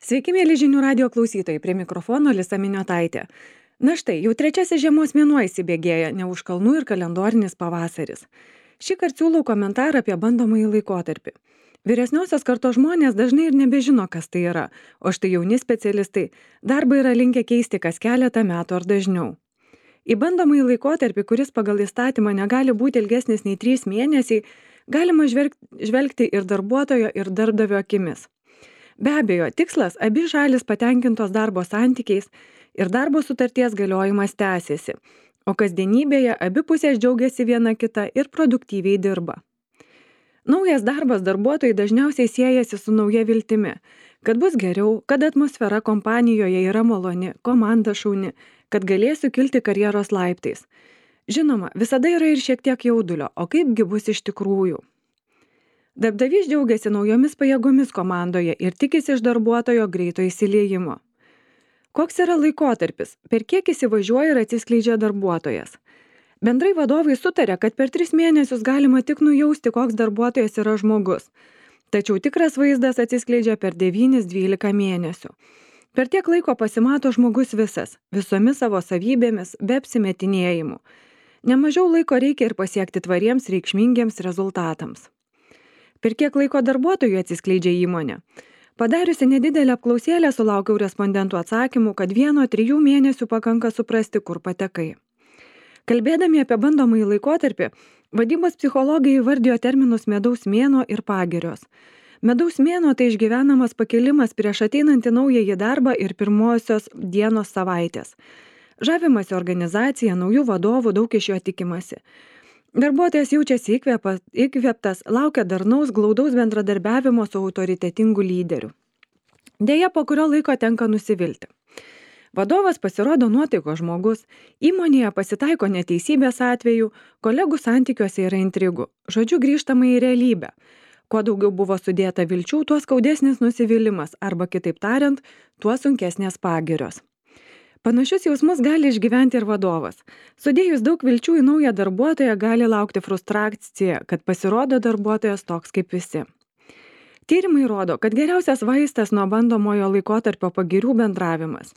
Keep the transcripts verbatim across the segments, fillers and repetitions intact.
Sveiki, mėly žinių radio klausytojai, prie mikrofono Lisa Miniotaitė. Na štai, jau trečiasis žiemos mėnuo įsibėgėja, ne už kalnų ir kalendorinis pavasaris. Šį kartą siūlau komentarą apie bandomąjį laikotarpį. Vyresniosios kartos žmonės dažnai ir nebežino, kas tai yra, o štai jauni specialistai darbą yra linkę keisti kas keletą metų ar dažniau. Į bandomąjį laikotarpį, kuris pagal įstatymą negali būti ilgesnis nei trys mėnesiai, galima žvelg- žvelgti ir darbuotojo, ir darbdavio akimis. Be abejo, tikslas abi šalis patenkintos darbo santykiais ir darbo sutarties galiojimas tęsiasi, o kasdienybėje abi pusės džiaugiasi viena kita ir produktyviai dirba. Naujas darbas darbuotojai dažniausiai siejasi su nauja viltimi, kad bus geriau, kad atmosfera kompanijoje yra maloni, komanda šauni, kad galėsiu kilti karjeros laiptais. Žinoma, visada yra ir šiek tiek jaudulio, o kaipgi bus iš tikrųjų. Darbdavys džiaugiasi naujomis pajėgomis komandoje ir tikisi iš darbuotojo greito įsiliejimo. Koks yra laikotarpis, per kiek įsivažiuoja ir atsiskleidžia darbuotojas? Bendrai vadovai sutarė, kad per tris mėnesius galima tik nujausti, koks darbuotojas yra žmogus. Tačiau tikras vaizdas atsiskleidžia per devynis dvylika mėnesių. Per tiek laiko pasimato žmogus visas, visomis savo savybėmis, be apsimetinėjimų. Nemažiau laiko reikia ir pasiekti tvariems reikšmingiems rezultatams. Per kiek laiko darbuotojų atsiskleidžia įmonė? Padariusi nedidelę apklausėlę sulaukiau respondentų atsakymų, kad vieno trijų mėnesių pakanka suprasti, kur patekai. Kalbėdami apie bandomąjį laikotarpį, vadybos psichologai įvardijo terminus medaus mėnuo ir pagirios. Medaus mėnuo tai išgyvenamas pakilimas prieš ateinantį naująjį darbą ir pirmosios dienos savaitės. Žavimasi organizacija, naujų vadovų, daug iš jo tikimasi. Darbuotojas jaučiasi įkvėpas, įkvėptas, laukia darnaus, glaudaus bendradarbiavimo su autoritetingu lyderiu. Deja, po kurio laiko tenka nusivilti. Vadovas pasirodo nuotaiko žmogus, įmonėje pasitaiko neteisybės atvejų, kolegų santykiuose yra intrigų. Žodžiu, grįžtama į realybę. Kuo daugiau buvo sudėta vilčių, tuo skaudesnis nusivylimas, arba kitaip tariant, tuo sunkesnės pagirios. Panašius jausmus gali išgyventi ir vadovas. Sudėjus daug vilčių į naują darbuotoją gali laukti frustracija, kad pasirodo darbuotojas toks kaip visi. Tyrimai rodo, kad geriausias vaistas nuo bandomojo laikotarpio pagirių bendravimas.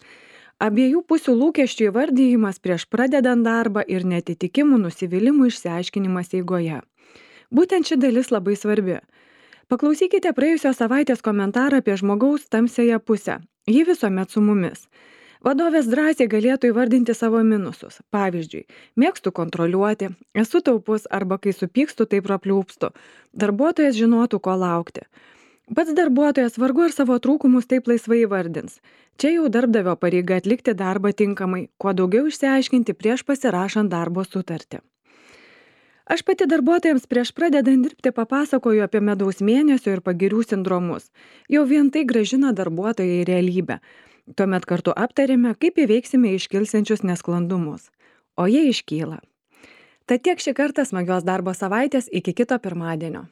Abiejų pusių lūkesčių įvardijimas prieš pradedant darbą ir netitikimų nusivylimų išsiaiškinimas eigoje. Būtent ši dalis labai svarbi. Paklausykite praėjusios savaitės komentarą apie žmogaus tamsiąją pusę. Ji visuomet su mumis. Vadovės drąsiai galėtų įvardinti savo minusus. Pavyzdžiui, mėgstu kontroliuoti, esu taupus arba kai supykstu, tai prapliūpstu. Darbuotojas žinotų, ko laukti. Pats darbuotojas vargu ir savo trūkumus taip laisvai įvardins. Čia jau darbdavio pareiga atlikti darbą tinkamai, kuo daugiau išsiaiškinti prieš pasirašant darbo sutartį. Aš pati darbuotojams prieš pradedant dirbti papasakoju apie medaus mėnesio ir pagirių sindromus. Jau vien tai grąžina darbuotoją į realybę. Tuomet kartu aptarėme, kaip įveiksime iškilsiančius nesklandumus. O jie iškyla. Tad tiek šį kartą smagios darbo savaitės, iki kito pirmadienio.